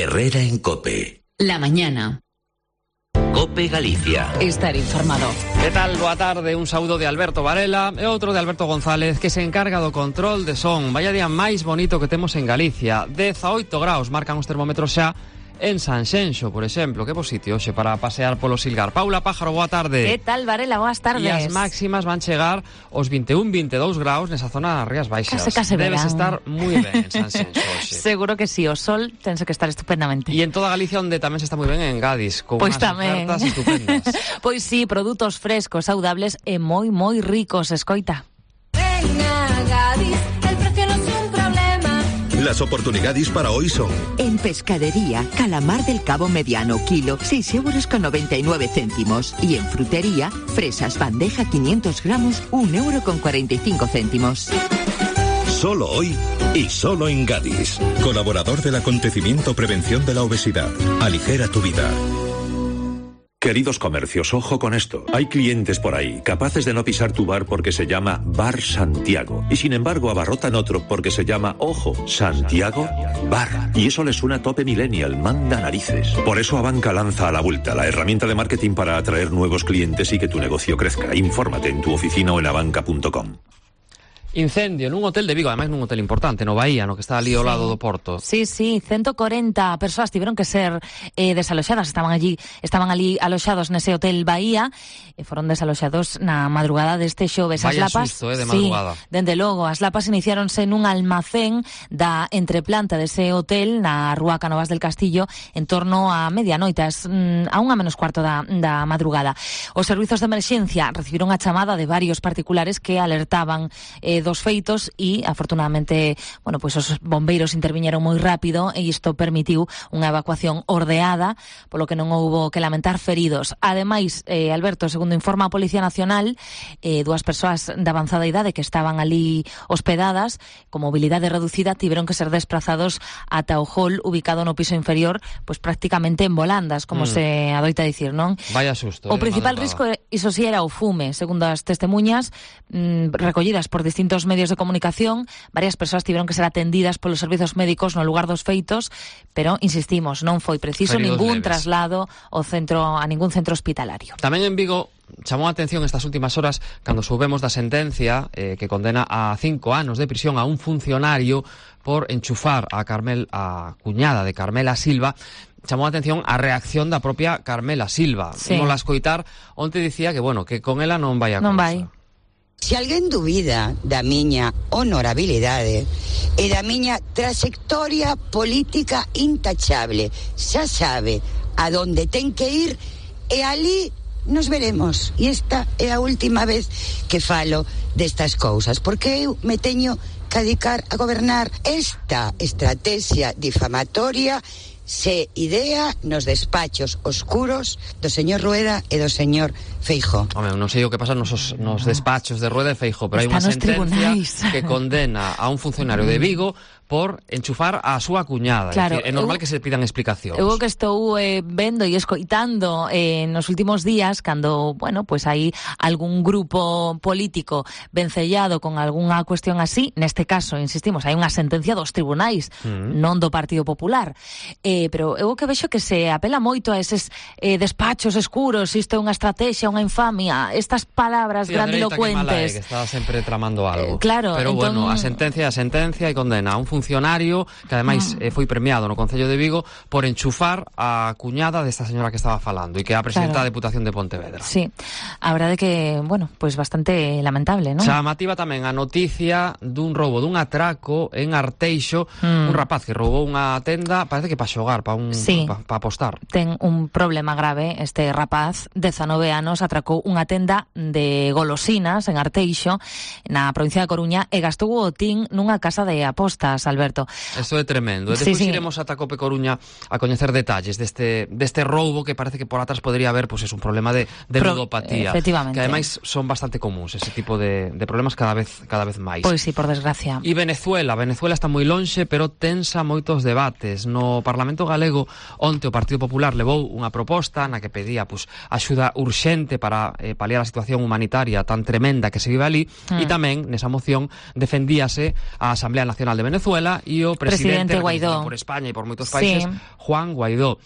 Herrera en COPE. La mañana. COPE Galicia. Estar informado. Que tal? Boa tarde, un saúdo de Alberto Varela e outro de Alberto González, que se encarga do control de son. Vaya día máis bonito que temos en Galicia. 18 graus marcan os termómetros xa en Sanxenxo, por exemplo. Que bo sitio hoxe para pasear polo Silgar. Paula Pájaro, boa tarde. Que tal, Varela? Boas tardes. E as máximas van chegar aos 21-22 graus nesa zona das Rías Baixas. Case Debes verán. estar moi ben en Sanxenxo hoxe. Seguro que sí, o sol tense que estar estupendamente. E en toda Galicia onde tamén se está moi ben en Gadis, con Pois unhas tamén. ofertas estupendas. Pois sí, produtos frescos, saudables e moi ricos, escoita. Ven a Gadis, el precio no es un problema. Las oportunidades para hoy son: en pescadería, calamar del Cabo mediano, kilo, 6,99 €. Y en frutería, fresas bandeja 500 gramos, 1,45 €. solo hoy y solo en Gadis. Colaborador del acontecimiento Prevención de la Obesidad. Aligera tu vida. Queridos comercios, ojo con esto. Hay clientes por ahí capaces de no pisar tu bar porque se llama Bar Santiago. Y sin embargo abarrotan otro porque se llama, ojo, Santiago Bar. Y eso les suena a tope millennial, manda narices. Por eso Abanca lanza a la vuelta la herramienta de marketing para atraer nuevos clientes y que tu negocio crezca. Infórmate en tu oficina o en abanca.com. Incendio nun hotel de Vigo, ademais nun hotel importante, no Bahía, no que está ali ao lado do Porto. Sí, 140 persoas tiveron que ser desaloxadas, estaban ali aloxados nese hotel Bahía, e foron desaloxados na madrugada deste xoves. Vaya as lapas, susto, de madrugada. Sí, dende logo, as lapas iniciáronse nun almacén da entreplanta dese hotel na rúa Cánovas del Castillo en torno a medianoite, a 1:45 da madrugada. Os servizos de emerxencia recibiron a chamada de varios particulares que alertaban dos feitos e, afortunadamente, pues os bombeiros interviñeron moi rápido e isto permitiu unha evacuación ordeada, polo que non houbo que lamentar feridos. Ademais, Alberto, segundo informa a Policía Nacional, dúas persoas de avanzada idade que estaban ali hospedadas con mobilidade reducida tiveron que ser desplazados ata o hall ubicado no piso inferior, prácticamente en volandas, como se adoita dicir, non? Vaya susto. O principal risco, iso sí, era o fume, segundo as testemunhas recollidas por distintos medios de comunicación. Varias persoas tiveron que ser atendidas polos servizos médicos no lugar dos feitos, pero insistimos, non foi preciso ningún traslado a ningún centro hospitalario. Tamén en Vigo chamou a atención estas últimas horas cando soubemos da sentencia que condena a 5 anos de prisión a un funcionario por enchufar a cuñada de Carmela Silva. Chamou a atención a reacción da propia Carmela Silva. Sí. Vimos la escoitar, onte dicía que con ela non vai a non cousa. vai. Se alguén dubida da miña honorabilidade e da miña trayectoria política intachable, xa sabe a donde ten que ir e ali nos veremos. E esta é a última vez que falo destas cousas, porque eu me teño que dedicar a gobernar. Esta estrategia difamatoria se idea nos despachos oscuros do señor Rueda e do señor Feijóo. Home, non sei o que pasa nos despachos de Rueda e Feijóo, pero hai unha sentencia que condena a un funcionario de Vigo por enchufar a súa cuñada. Claro, É normal que se pidan explicacións. Eu que estou vendo e escoitando nos últimos días, cando, hai algún grupo político vencellado con algunha cuestión así, neste caso, insistimos, hai unha sentencia dos tribunais, non do Partido Popular. Pero eu que vexo que se apela moito a eses despachos escuros, isto é unha estrategia, unha infamia, estas palabras grandilocuentes. Que está sempre tramando algo. Claro, pero a sentencia e condena a un funcionario que ademais foi premiado no Concello de Vigo por enchufar a cuñada desta señora que estaba falando e que é a presidenta da Deputación de Pontevedra. Sí, a verdade que, bastante lamentable, non? Chamativa tamén a noticia dun roubo, dun atraco en Arteixo, un rapaz que roubou unha tenda, parece que para xogar, para apostar. Ten un problema grave este rapaz, 19 anos, atracou unha tenda de golosinas en Arteixo, na provincia de Coruña, e gastou o botín nunha casa de apostas, Alberto. Isto é tremendo. Despois iremos ata Cope Coruña a coñecer detalles deste roubo que parece que por atrás podría haber un problema de ludopatía. Efectivamente. Que ademais son bastante comuns ese tipo de problemas cada vez máis. Pois sí, por desgracia. E Venezuela está moi lonxe, pero tensa moitos debates. No Parlamento galego onte o Partido Popular levou unha proposta na que pedía axuda urxente urxente para paliar a situación humanitaria tan tremenda que se vive ali, e tamén nesa moción defendíase a Asamblea Nacional de Venezuela e o presidente Guaidó por España e por moitos países, Juan Guaidó.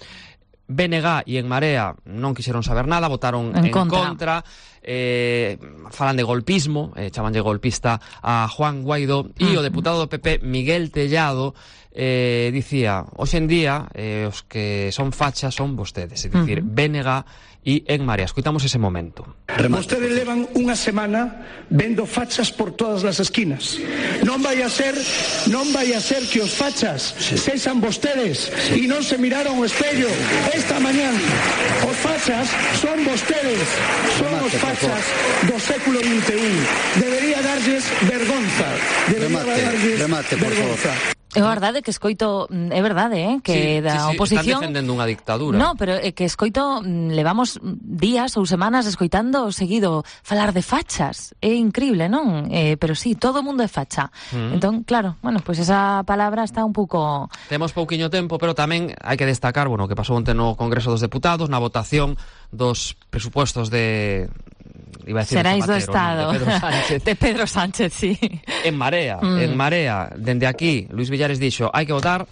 BNG e En Marea non quixeron saber nada, votaron en contra. Falan de golpismo, chamanlle golpista a Juan Guaidó, e o deputado do PP Miguel Tellado dicía, hoxe en día os que son fachas son vostedes, é dicir, BNG e En Marea. Escoitamos ese momento. Vostedes levan unha semana vendo fachas por todas as esquinas. Non vai a ser que os fachas sexan vostedes e non se miraron ao espello esta mañán. Os fachas son vostedes, son os fachas do século XXI. Debería darlles vergonza. É verdade que escoito, é verdade, que da oposición están defendendo unha dictadura. No, pero é que escoito, levamos días ou semanas escoitando seguido falar de fachas. É increíble, non? Pero sí, todo o mundo é facha. Entón, claro, bueno, pues esa palabra está un pouco... Temos pouquiño tempo, pero tamén hai que destacar, bueno, que pasou onte no Congreso dos Deputados, na votación dos presupuestos de... Seráis do Estado, de Pedro Sánchez, sí. En Marea, dende aquí, Luis Villares dixo, hai que votar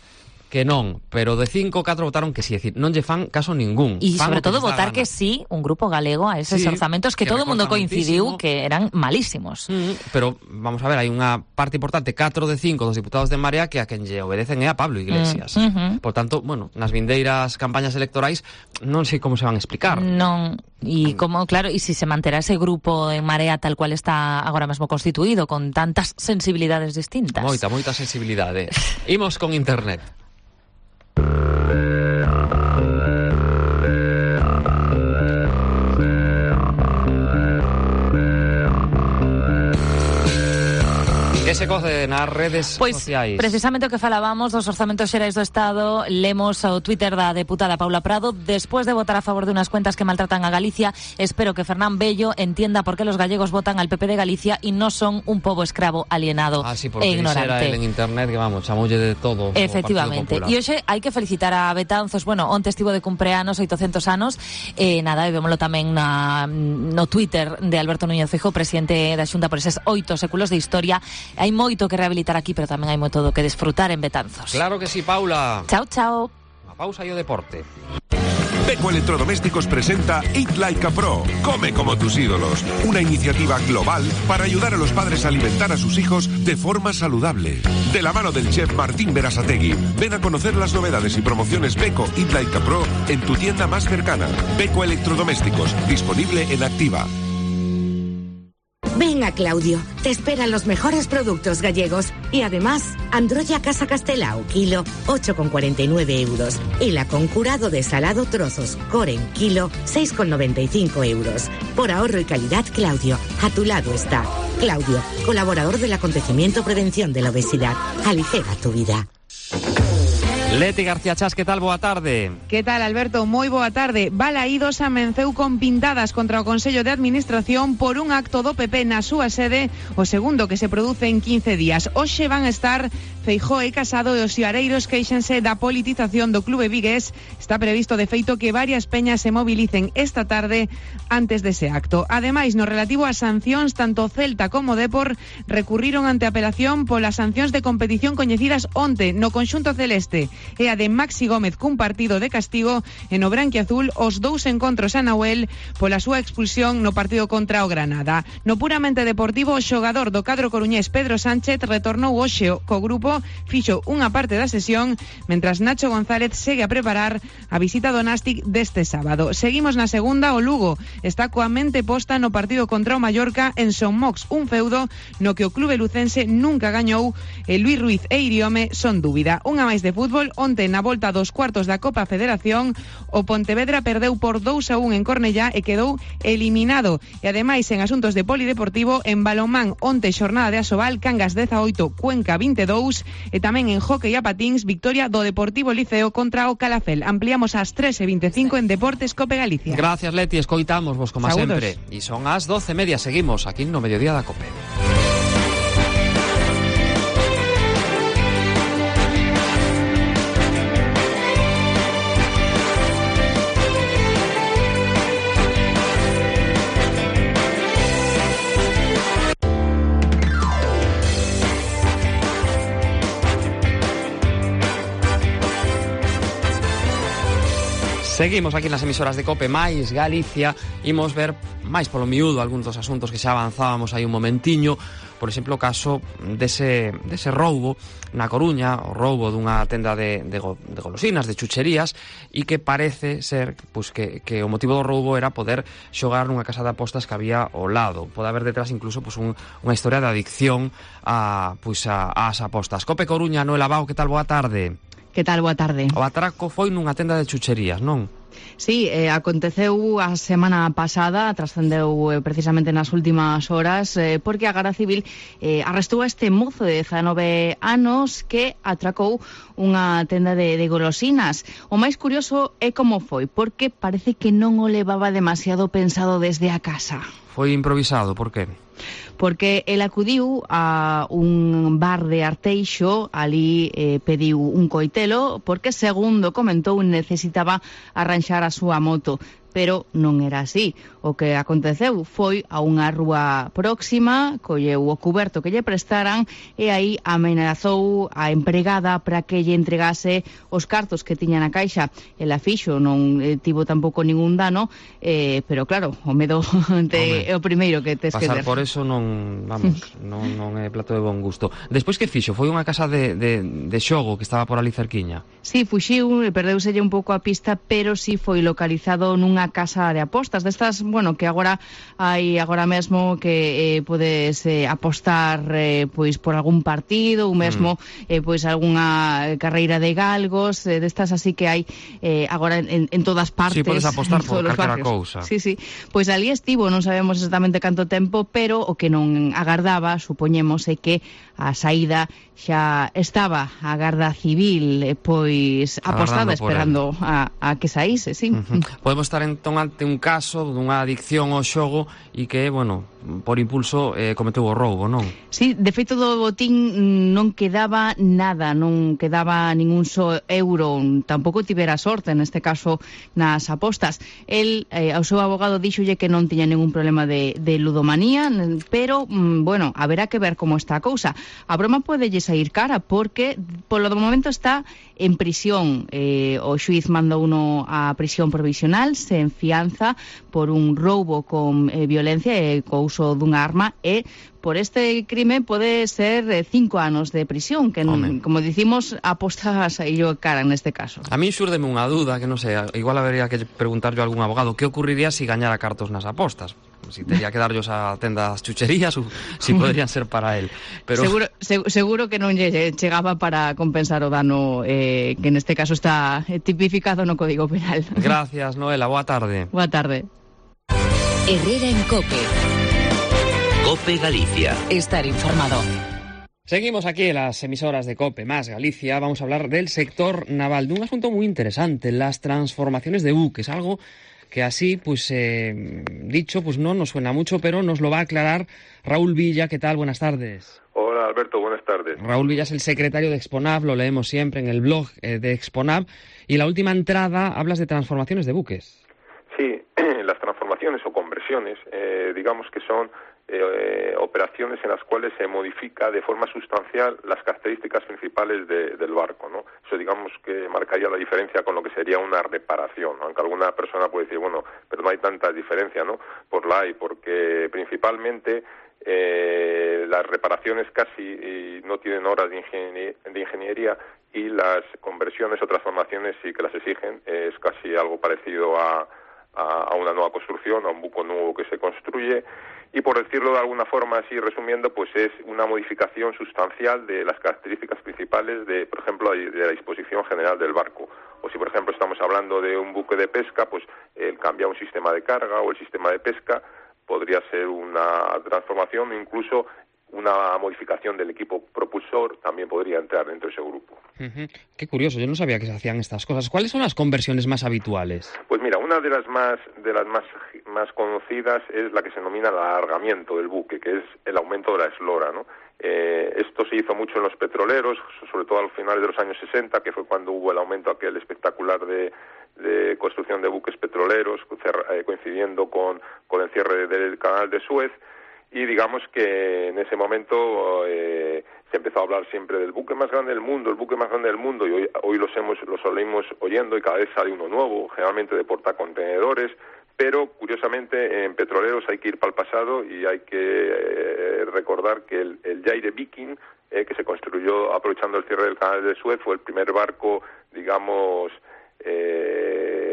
que non, pero de 5, 4 votaron que sí, é dicir, non lle fan caso ningún. E sobre todo votar que sí, un grupo galego a eses orzamentos que todo o mundo coincidiu que eran malísimos. Pero, vamos a ver, hai unha parte importante, 4 de 5 dos diputados de Marea que a quen lle obedecen é a Pablo Iglesias. Por tanto, bueno, nas vindeiras campañas electorais non sei como se van a explicar. Non, e como, claro, e se se manterá ese grupo en Marea tal cual está agora mesmo constituído, con tantas sensibilidades distintas. Moita sensibilidade. Imos con internet. Que se coce nas redes sociais? Precisamente o que falábamos dos orzamentos xerais do Estado, lemos o Twitter da deputada Paula Prado. Después de votar a favor de unas cuentas que maltratan a Galicia, espero que Fernán Bello entienda por qué los gallegos votan al PP de Galicia y no son un pobo escravo alienado e ignorante. En internet que vamos, chamoulle de todo. Efectivamente. E hoxe hai que felicitar a Betanzos. Bueno, onte estivo de cumpleanos, 800 anos. Nada, e vémolo tamén no Twitter de Alberto Núñez Feijóo, presidente da Xunta, por eses 8 séculos de historia. Hai moito que rehabilitar aquí, pero tamén hai moito do que desfrutar en Betanzos. Claro que sí, Paula. Chao, chao. A pausa e o deporte. Beko Electrodomésticos presenta Eat Like a Pro, come como tus ídolos, una iniciativa global para ayudar a los padres a alimentar a sus hijos de forma saludable. De la mano del chef Martín Berasategui, ven a conocer las novedades y promociones Beko Eat Like a Pro en tu tienda más cercana. Beko Electrodomésticos, disponible en Activa. Ven a Claudio, te esperan los mejores productos gallegos y además Androlla Casa Castelao, kilo, 8,49 euros y la con curado de salado trozos Coren, kilo, 6,95 euros. Por ahorro y calidad, Claudio, a tu lado está. Claudio, colaborador del acontecimiento Prevención de la Obesidad. Aligera tu vida. Leti García Chas, que tal? Boa tarde. Que tal, Alberto? Moi boa tarde. Balaídos amenceu con pintadas contra o Consello de Administración por un acto do PP na súa sede, o segundo que se produce en 15 días. Hoxe van a estar Feijóo e Casado e os xiareiros queixense da politización do clube vigués. Está previsto, de feito, que varias peñas se mobilicen esta tarde antes dese acto. Ademais, no relativo ás sancións, tanto Celta como Depor recurriron ante apelación polas sancións de competición coñecidas onte no conxunto celeste e a de Maxi Gómez cun partido de castigo e no branquiazul os 2 encontros a Nahuel pola súa expulsión no partido contra o Granada. No puramente deportivo, o xogador do cadro coruñés Pedro Sánchez retornou hoxe co grupo, fixo unha parte da sesión, mentras Nacho González segue a preparar a visita do Nástic deste sábado. Seguimos na segunda, o Lugo está coa mente posta no partido contra o Mallorca en Son Mox, un feudo no que o clube lucense nunca gañou e Luis Ruiz e Iriome son dúbida. Unha máis de fútbol. Onte na volta dos cuartos da Copa Federación, o Pontevedra perdeu por 2-1 en Cornellá e quedou eliminado. E ademais, en asuntos de polideportivo, en balonmán, onte xornada de Asobal, Cangas 18, Cuenca 22, e tamén en hóquei a patíns, victoria do Deportivo Liceo contra o Calafel. Ampliamos ás 3:25 en Deportes Cope Galicia. Gracias, Leti, escoitamos vos como Saúdos. sempre. E son as 12:30, seguimos aquí no Mediodía da Cope. Seguimos aquí nas emisoras de COPE máis Galicia. Imos ver máis polo miúdo algúns dos asuntos que xa avanzábamos aí un momentiño. Por exemplo, o caso dese roubo na Coruña, o roubo dunha tenda de golosinas, de chucherías, e que parece ser pues, que o motivo do roubo era poder xogar nunha casa de apostas que había ao lado. Pode haber detrás incluso pues, unha historia de adicción ás apostas. COPE Coruña, Noela Bao, que tal? Boa tarde. Que tal? Boa tarde. O atraco foi nunha tenda de chucherías, non? Sí, aconteceu a semana pasada, trascendeu precisamente nas últimas horas, porque a Garda Civil arrestou a este mozo de 19 anos que atracou unha tenda de golosinas. O máis curioso é como foi, porque parece que non o levaba demasiado pensado desde a casa. Foi improvisado, por que? Porque el acudiu a un bar de Arteixo, ali pediu un coitelo, porque, segundo comentou, necesitaba arranxar a súa moto. Pero non era así. O que aconteceu foi a unha rúa próxima, colleu o cuberto que lle prestaran e aí amenazou a empregada para que lle entregase os cartos que tiña na caixa. Ela fixo, non tivo tampouco ningún dano, pero claro, o medo é o primeiro que tes que ter. Pasar por eso non, vamos, non é plato de bon gusto. Despois que fixo? Foi unha casa de xogo que estaba por ali cerquiña? Sí, fuxiu, perdeuselle un pouco a pista, pero sí foi localizado nunha casa de apostas destas, bueno, que agora hai agora mesmo que podes apostar pois por algún partido ou mesmo pois algunha carreira de galgos, destas así que hai agora en todas partes. Sí, podes apostar por calquera cousa. Sí, sí. Pois ali estivo, non sabemos exactamente canto tempo, pero o que non agardaba, supoñemos, é que a saída xa estaba a Garda Civil pois apostada, esperando a que saíse, sí. Podemos estar entón ante un caso dunha adicción ao xogo e que, bueno, por impulso cometeu o roubo, non? Sí, de feito do botín non quedaba nada, non quedaba ningún só euro, tampouco tivera sorte neste caso nas apostas. El, ao seu abogado, díxolle que non tiña ningún problema de ludomanía, pero, bueno, haberá que ver como está a cousa. A broma podelle sair cara porque polo do momento está en prisión. O xuiz mandou uno a prisión provisional sen fianza por un roubo con violencia e co uso dunha arma e por este crime pode ser 5 anos de prisión, que, como dicimos, aposta a saír cara neste caso. A mí xúrdeme unha dúda, que non sei, igual habería que preguntarlle a algún abogado que ocurriría se gañara cartos nas apostas. Si tería que darllos a tendas chucherías ou si podrían ser para él. Pero... Seguro que non lle chegaba para compensar o dano que neste caso está tipificado no Código Penal. Gracias, Noela. Boa tarde. Boa tarde. Herrera en COPE. COPE Galicia. Estar informado. Seguimos aquí en las emisoras de COPE más Galicia. Vamos a hablar del sector naval, de un asunto muy interesante, las transformaciones de buques, algo que así, pues dicho, pues no nos suena mucho, pero nos lo va a aclarar Raúl Villa. ¿Qué tal? Buenas tardes. Hola, Alberto, buenas tardes. Raúl Villa es el secretario de Exponav, lo leemos siempre en el blog de Exponav, y la última entrada hablas de transformaciones de buques. Sí, las transformaciones o conversiones, digamos que son operaciones en las cuales se modifica de forma sustancial las características principales del barco, ¿no? Eso digamos que marcaría la diferencia con lo que sería una reparación, ¿no? Aunque alguna persona puede decir, bueno, pero no hay tanta diferencia, ¿no? Pues la hay, porque principalmente las reparaciones casi no tienen horas de ingeniería y las conversiones o transformaciones sí que las exigen, es casi algo parecido a una nueva construcción, a un buque nuevo que se construye, y por decirlo de alguna forma así resumiendo, pues es una modificación sustancial de las características principales de, por ejemplo, de la disposición general del barco. O si por ejemplo estamos hablando de un buque de pesca, pues el cambiar un sistema de carga o el sistema de pesca podría ser una transformación, incluso una modificación del equipo propulsor también podría entrar dentro de ese grupo. Qué curioso, yo no sabía que se hacían estas cosas. ¿Cuáles son las conversiones más habituales? Pues mira, una de las más conocidas es la que se denomina el alargamiento del buque, que es el aumento de la eslora, ¿no? Esto se hizo mucho en los petroleros, sobre todo al final de los años 60, que fue cuando hubo el aumento aquel espectacular de construcción de buques petroleros, coincidiendo con el cierre del canal de Suez. Y digamos que en ese momento se empezó a hablar siempre del buque más grande del mundo, el buque más grande del mundo, y hoy lo seguimos oyendo, y cada vez sale uno nuevo, generalmente de portacontenedores, pero curiosamente en petroleros hay que ir para el pasado y hay que recordar que el Jaire Viking, que se construyó aprovechando el cierre del canal de Suez, fue el primer barco, digamos,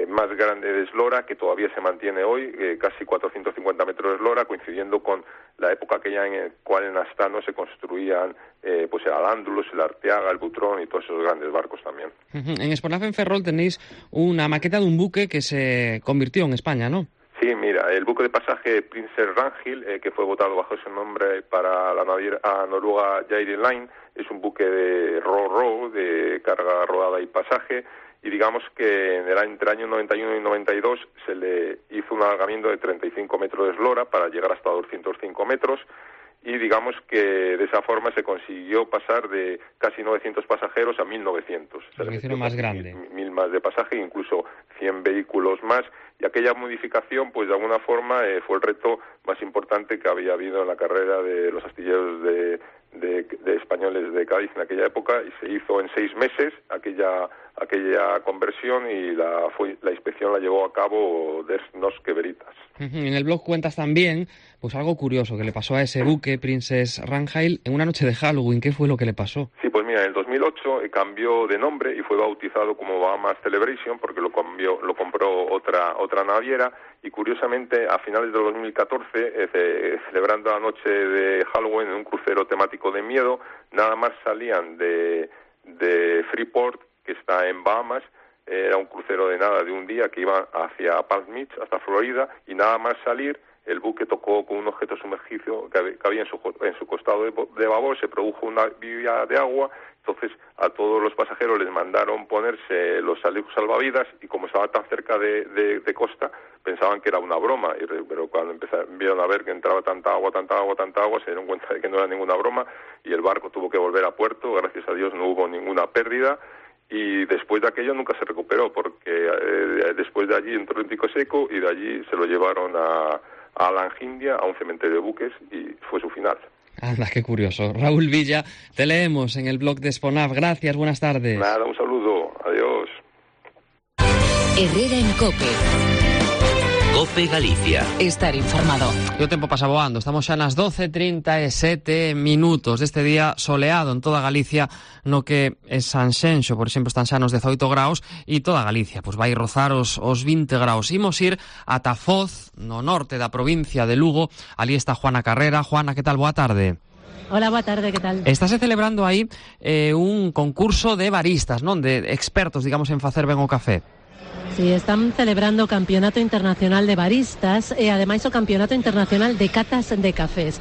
más grande de eslora, que todavía se mantiene hoy, casi 450 metros de eslora, coincidiendo con la época aquella en la cual en Astano se construían pues el Al-Ándalus, el Arteaga, el Butrón y todos esos grandes barcos también. En Exponaf en Ferrol tenéis una maqueta de un buque que se convirtió en España, ¿no? Sí, mira, el buque de pasaje Princess Ragnhild, que fue votado bajo ese nombre para la naviera noruega Jaire Line, es un buque de ro-ro, de carga rodada y pasaje, y digamos que entre el año 91 y 92 se le hizo un alargamiento de 35 metros de eslora para llegar hasta 205 metros, y digamos que de esa forma se consiguió pasar de casi 900 pasajeros a 1.900. Se le hicieron más grande. 1.000 más de pasaje, incluso 100 vehículos más, y aquella modificación, pues de alguna forma fue el reto más importante que había habido en la carrera de los astilleros de españoles de Cádiz en aquella época, y se hizo en 6 meses aquella conversión, y la inspección la llevó a cabo des Norske Veritas. En el blog cuentas también pues algo curioso que le pasó a ese buque Princess Ragnhild en una noche de Halloween. ¿Qué fue lo que le pasó? Sí, pues mira, en el 2008 cambió de nombre y fue bautizado como Bahamas Celebration, porque lo compró otra naviera, y curiosamente a finales del 2014, celebrando la noche de Halloween en un crucero temático de miedo, nada más salían de Freeport, que está en Bahamas. Era un crucero de un día que iba hacia Palm Beach, hasta Florida, y nada más salir, el buque tocó con un objeto sumergido que había en su costado de babor, se produjo una vía de agua. Entonces a todos los pasajeros les mandaron ponerse los chalecos salvavidas, y como estaba tan cerca de costa, pensaban que era una broma, pero cuando vieron a ver que entraba tanta agua, se dieron cuenta de que no era ninguna broma, y el barco tuvo que volver a puerto. Gracias a Dios no hubo ninguna pérdida, y después de aquello nunca se recuperó, porque después de allí entró en Tico Seco, y de allí se lo llevaron a Langindia, a un cementerio de buques, y fue su final. Anda, qué curioso. Raúl Villa, te leemos en el blog de Exponaf. Gracias, buenas tardes. Nada, un saludo. Adiós. Herrera en COPE. COPE Galicia. Estar informado. E o tempo pasa voando. Estamos xa nas 12:37 deste día soleado en toda Galicia, no que é Sanxenxo, por exemplo, están xa nos 18 graus, e toda Galicia pois vai rozar os 20 graus. Imos ir ata Foz, no norte da provincia de Lugo. Ali está Juana Carrera. Juana, que tal? Boa tarde. Hola, boa tarde, que tal? Estáse celebrando aí un concurso de baristas, non? De expertos, digamos, en facer ben o café. Sí, están celebrando o Campeonato Internacional de Baristas e ademais o Campeonato Internacional de Catas de Cafés.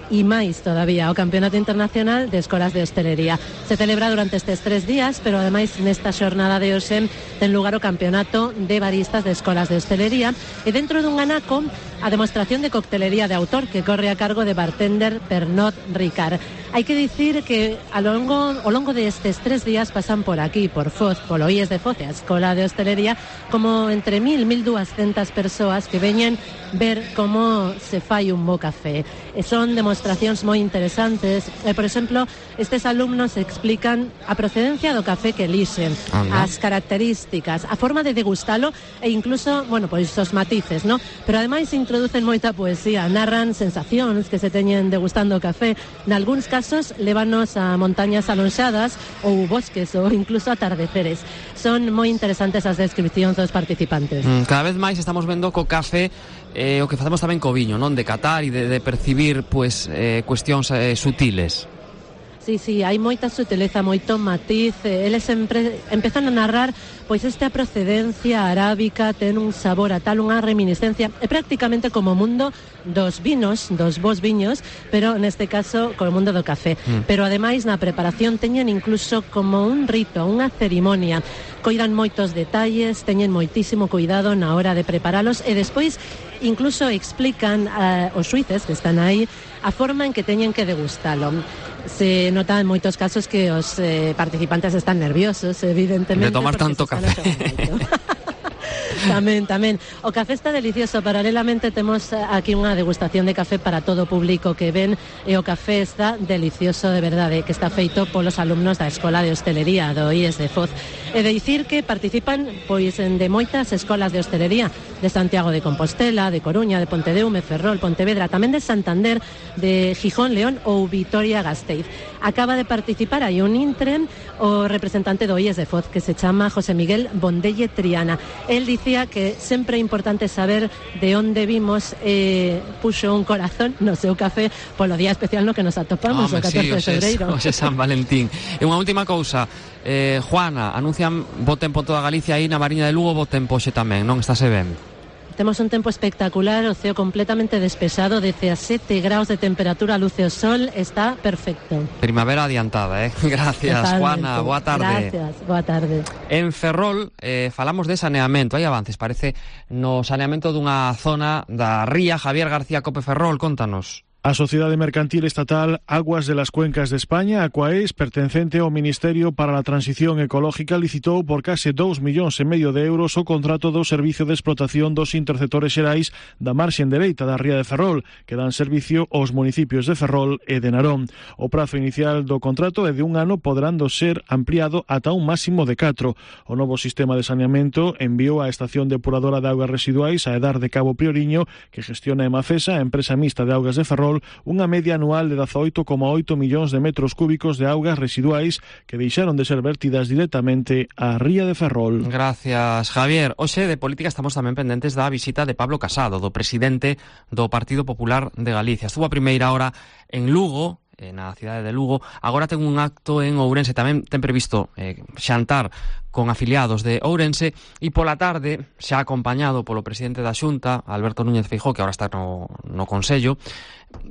E máis todavía, o Campeonato Internacional de Escolas de Hostelería. Se celebra durante estes 3 días, pero ademais nesta xornada de hoxe ten lugar o Campeonato de Baristas de Escolas de Hostelería, e dentro dun anaco a demostración de coctelería de autor que corre a cargo de bartender Pernod Ricard. Hai que dicir que ao longo destes 3 días pasan por aquí, por Foz, polo IES de Foz, a Escola de Hostelería, como entre 1.000 e 1.200 persoas que veñen ver como se fai un bo café. E son demostracións moi interesantes. Por exemplo, estes alumnos explican a procedencia do café que elixen, as características, a forma de degustalo e incluso, pois os matices, ¿no? Pero ademais introducen moita poesía, narran sensacións que se teñen degustando o café. Nalgúns casos lévanos a montañas alonxadas ou bosques ou incluso atardeceres. Son moi interesantes as descripcións dos participantes. Cada vez máis estamos vendo co café o que facemos tamén co viño, non? De catar e de percibir cuestións sutiles. Sí, hai moita sutileza, moito matiz. Eles sempre empezan a narrar pois esta procedencia arábica, ten un sabor a tal, unha reminiscencia. É prácticamente como o mundo dos vinos, dos bons viños, pero neste caso como o mundo do café. Pero ademais na preparación teñen incluso como un rito, unha cerimonia. Coidan moitos detalles, teñen moitísimo cuidado na hora de preparalos e despois incluso explican aos xuíces que están aí a forma en que teñen que degustalo. Se nota en moitos casos que os participantes están nerviosos, evidentemente. De tomar tanto café. Tamén. O café está delicioso. Paralelamente temos aquí unha degustación de café para todo o público que ven, e o café está delicioso de verdade, que está feito polos alumnos da Escola de Hostelería do IES de Foz. E de dicir que participan pois de moitas escolas de hostelería de Santiago de Compostela, de Coruña, de Pontedeume, Ferrol, Pontevedra, tamén de Santander, de Gijón, León ou Vitoria-Gasteiz. Acaba de participar aí un intren o representante do IES de Foz, que se chama José Miguel Bondelle Triana. El dicía que sempre é importante saber de onde vimos, puxo un corazón no seu café polo día especial no que nos atopamos, o 14 de febreiro. Hoxe San Valentín. E unha última cousa, Juana, anuncian bo tempo en toda Galicia, aí na Mariña de Lugo bo tempo hoxe tamén, non estáse ben? Temos un tempo espectacular, o ceo completamente despexado, 17 graus de temperatura, luce o sol, está perfecto. Primavera adiantada, Gracias, totalmente. Juana, boa tarde. Gracias, boa tarde. En Ferrol falamos de saneamento, hai avances, parece, no saneamento dunha zona da ría. Javier García, Cope Ferrol, contanos. A Sociedade Mercantil Estatal Aguas de las Cuencas de España, Aquaes, pertencente ao Ministerio para a Transición Ecológica, licitou por case 2,5 millóns de euros o contrato do servicio de explotación dos interceptores xerais da marxen dereita da ría de Ferrol, que dan servicio aos municipios de Ferrol e de Narón. O prazo inicial do contrato é de 1 ano, poderando ser ampliado ata un máximo de 4. O novo sistema de saneamento enviou a Estación Depuradora de Augas Residuais a Edar de Cabo Prioriño, que gestiona Emafesa, a empresa mixta de augas de Ferrol, unha media anual de 18,8 millóns de metros cúbicos de augas residuais que deixaron de ser vertidas directamente á ría de Ferrol. Gracias, Javier. Hoxe de política estamos tamén pendentes da visita de Pablo Casado, do presidente do Partido Popular de Galicia. Estuvo a primeira hora en Lugo, na cidade de Lugo. Agora ten un acto en Ourense, tamén ten previsto xantar con afiliados de Ourense, e pola tarde, xa acompañado polo presidente da Xunta, Alberto Núñez Feijóo, que agora está no Consello,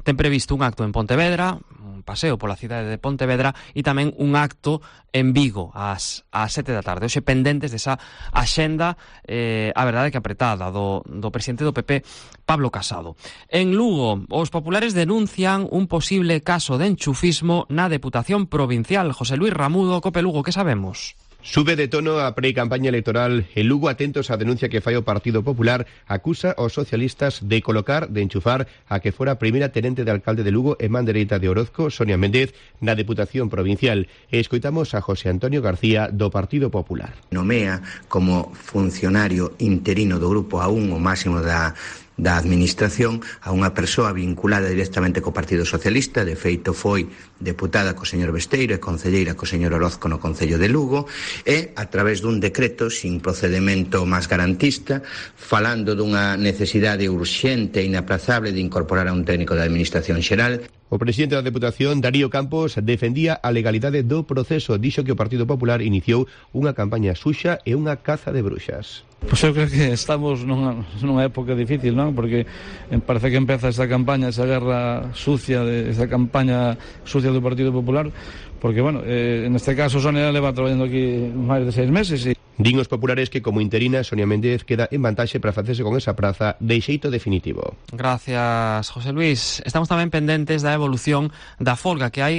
ten previsto un acto en Pontevedra, un paseo pola cidade de Pontevedra, e tamén un acto en Vigo ás 7 da tarde. Hoxe pendentes desa axenda, a verdade que apretada, do presidente do PP, Pablo Casado. En Lugo, os populares denuncian un posible caso de enchufismo na Deputación Provincial. José Luis Ramudo, Cope Lugo, que sabemos? Sube de tono a pre-campaña electoral. En Lugo, atentos á denuncia que fai o Partido Popular, acusa aos socialistas de colocar, de enchufar a que fora primeira tenente de alcalde de Lugo e man dereita de Orozco, Sonia Méndez, na Deputación Provincial. E escoitamos a José Antonio García, do Partido Popular. Nomea como funcionario interino do Grupo A1, o máximo da administración, a unha persoa vinculada directamente co Partido Socialista. De feito foi deputada co señor Besteiro e concelleira co señor Orozco no Concello de Lugo, e a través dun decreto sin procedemento máis garantista, falando dunha necesidade urxente e inaplazable de incorporar a un técnico da Administración Xeral. O presidente da Deputación, Darío Campos, defendía a legalidade do proceso. Dixo que o Partido Popular iniciou unha campaña suxa e unha caza de bruxas. Pois eu creo que estamos nunha época difícil, non? Porque parece que empeza esta campaña, esa guerra sucia, esa campaña sucia do Partido Popular, porque, bueno, neste caso Sonia leva traballando aquí máis de 6 meses e... Din os populares que como interina Sonia Méndez queda en vantaxe para facerse con esa praza de xeito definitivo. Gracias, José Luis. Estamos tamén pendentes da evolución da folga que hai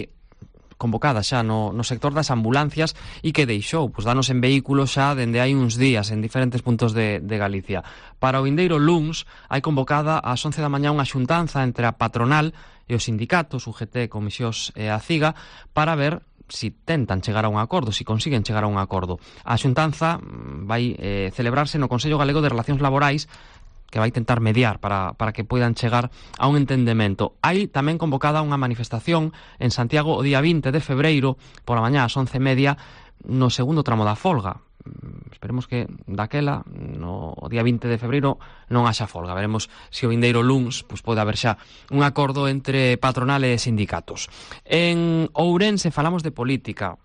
convocada xa no sector das ambulancias e que deixou danos en vehículos xa dende hai uns días en diferentes puntos de Galicia. Para o vindeiro luns hai convocada ás 11 da mañá unha xuntanza entre a patronal e os sindicatos, UGT, Comisións e a CIGA, para ver si tentan chegar a un acordo, si consiguen chegar a un acordo. A xuntanza vai celebrarse no Consello Galego de Relacións Laborais, que vai tentar mediar para que poidan chegar a un entendemento. Hai tamén convocada unha manifestación en Santiago o día 20 de febreiro, pola mañá ás 11:30, no segundo tramo da folga. Esperemos que daquela, no día 20 de febreiro, non haxa folga. Veremos se o vindeiro luns pode haber xa un acordo entre patronal e sindicatos. En Ourense falamos de política.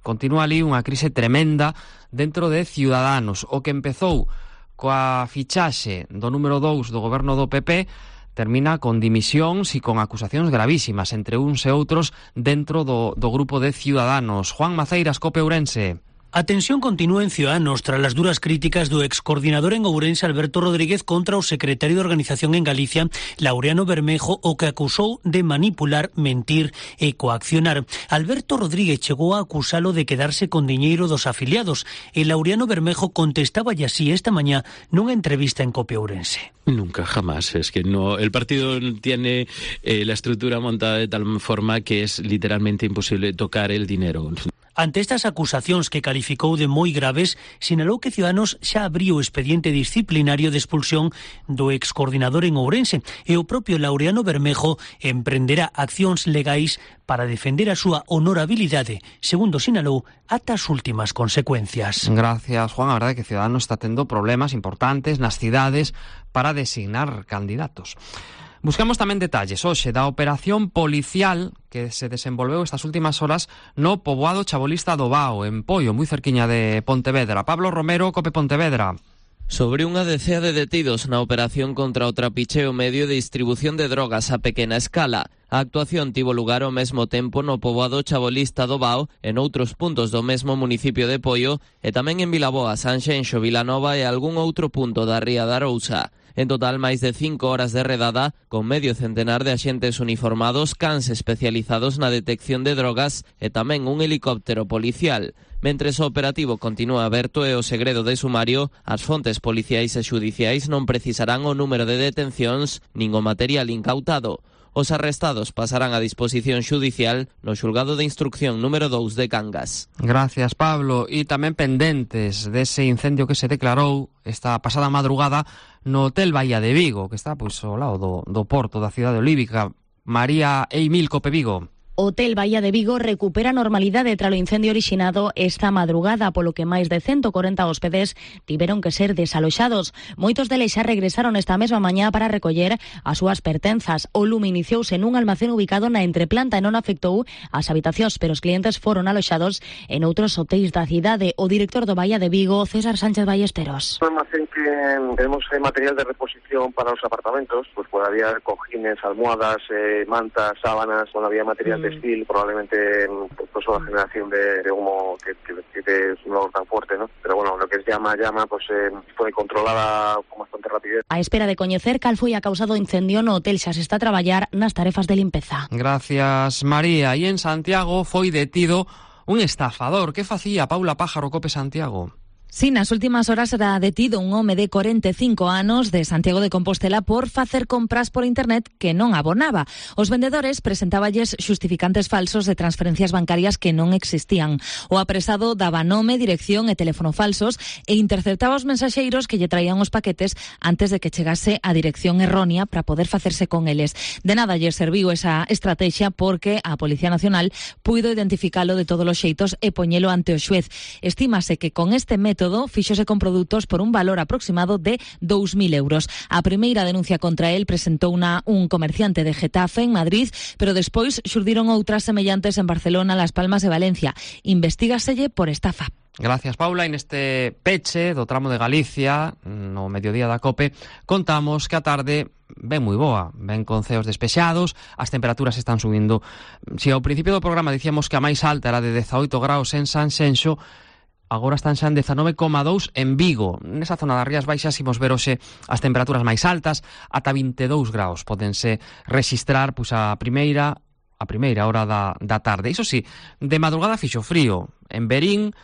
Continúa ali unha crise tremenda dentro de Ciudadanos. O que empezou coa fichaxe do número 2 do goberno do PP termina con dimisións e con acusacións gravísimas entre uns e outros dentro do grupo de Ciudadanos. Juan Maceiras, Cope Ourense. A tensión continúa en Ciudadanos tras las duras críticas do excoordinador en Ourense Alberto Rodríguez contra o secretario de Organización en Galicia Laureano Bermejo, o que acusou de manipular, mentir e coaccionar. Alberto Rodríguez chegou a acusalo de quedarse con diñeiro dos afiliados e Laureano Bermejo contestaba así esta mañá nunha entrevista en COPE Ourense. Nunca, jamás. Es que no, el partido tiene la estructura montada de tal forma que es literalmente imposible tocar el dinero. Ante estas acusacións que calificou de moi graves, sinalou que Ciudadanos xa abriu o expediente disciplinario de expulsión do excoordinador en Ourense e o propio Laureano Bermejo emprenderá accións legais para defender a súa honorabilidade, segundo sinalou, ata as últimas consecuencias. Gracias, Juan. A verdade é que Ciudadanos está tendo problemas importantes nas cidades para designar candidatos. Buscamos tamén detalles hoxe da operación policial que se desenvolveu estas últimas horas no poboado chabolista do Bao, en Poio, moi cerquiña de Pontevedra. Pablo Romero, COPE Pontevedra. Sobre unha decea de detidos na operación contra o trapicheo medio de distribución de drogas a pequena escala. A actuación tivo lugar ao mesmo tempo no poboado chabolista do Bao e noutros puntos do mesmo municipio de Poio e tamén en Vilaboa, Sanxenxo, Vilanova e algún outro punto da ría da Arousa. En total, máis de 5 horas de redada, con medio centenar de axentes uniformados, cans especializados na detección de drogas e tamén un helicóptero policial. Mentres o operativo continúa aberto e o segredo de sumario, as fontes policiais e xudiciais non precisarán o número de detencións nin o material incautado. Os arrestados pasarán a disposición xudicial no xulgado de instrucción número 2 de Cangas. Gracias, Pablo. E tamén pendentes dese incendio que se declarou esta pasada madrugada no Hotel Bahía de Vigo, que está pois ao lado do porto da cidade olívica. María Eimil, COPE Vigo. Hotel Bahía de Vigo recupera normalidade tralo incendio orixinado esta madrugada, polo que máis de 140 hóspedes tiveron que ser desaloxados. Moitos deles xa regresaron esta mesma mañá para recoller as súas pertenzas. O lume iniciouse nun almacén ubicado na entreplanta e non afectou as habitacións, pero os clientes foron aloxados en outros hotéis da cidade. O director do Bahía de Vigo, César Sánchez Ballesteros. Un almacén que tenemos material de reposición para los apartamentos, pues había cojines, almohadas, mantas, sábanas, había material textil, probablemente pues una generación de humo que es un olor tan fuerte, ¿no? Pero bueno, lo que es llama, pues fue controlada con bastante rapidez. A espera de coñecer cal foi a causa do incendio no hotel, xa se está a traballar nas tarefas de limpeza. Gracias, María. E en Santiago foi detido un estafador. Que facía Paula Pájaro, COPE Santiago? Sí, nas últimas horas era detido un home de 45 anos de Santiago de Compostela por facer compras por internet que non abonaba. Os vendedores presentáballes xustificantes falsos de transferencias bancarias que non existían. O apresado daba nome, dirección e teléfono falsos e interceptaba os mensaxeiros que lle traían os paquetes antes de que chegase a dirección errónea para poder facerse con eles. De nada lle serviu esa estrategia porque a Policía Nacional puido identificalo de todos os xeitos e poñelo ante o xuez. Estímase que con este método fíxose con produtos por un valor aproximado de 2.000 euros. A primeira denuncia contra él presentou un comerciante de Getafe en Madrid, pero despois xurdiron outras semellantes en Barcelona, Las Palmas e Valencia. Investígaselle por estafa. Gracias, Paula. En este peche do tramo de Galicia, no mediodía da COPE, contamos que a tarde ven moi boa, ven con ceos despexados, as temperaturas están subindo. Si ao principio do programa dicíamos que a máis alta era de 18 graus en Sanxenxo, agora están xa en 19,2 en Vigo. Nesa zona das Rías Baixas imos ver hoxe as temperaturas máis altas, ata 22 graus. Pódense rexistrar a primeira hora da tarde. Iso sí, de madrugada fixo frío. En Verín,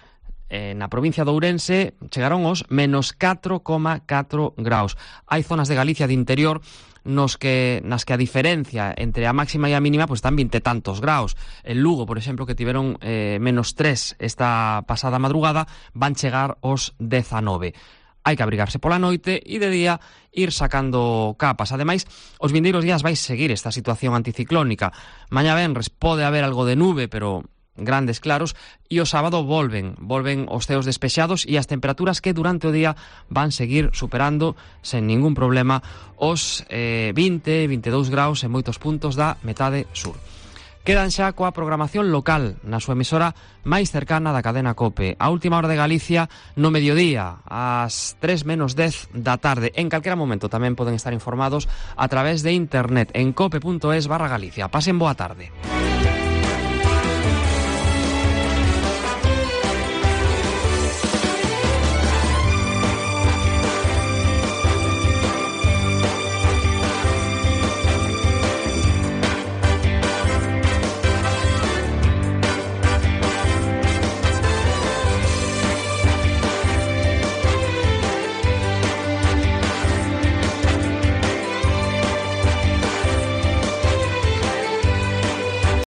na provincia de Ourense, chegaron os menos 4,4 graus. Hai zonas de Galicia de interior nas que a diferencia entre a máxima e a mínima están 20 e tantos graus. En Lugo, por exemplo, que tiveron menos 3 esta pasada madrugada, van chegar os 19. Hai que abrigarse pola noite e de día ir sacando capas. Ademais, os vindeiros días vai seguir esta situación anticiclónica. Mañá venres pode haber algo de nube, pero grandes claros, e o sábado volven os ceos despexados e as temperaturas que durante o día van seguir superando sen ningún problema os 20-22 graus en moitos puntos da metade sur. Quedan xa coa programación local na súa emisora máis cercana da cadena COPE. A última hora de Galicia no mediodía, ás 3:10 da tarde. En calquera momento tamén poden estar informados a través de internet en cope.es/Galicia. Pasen boa tarde.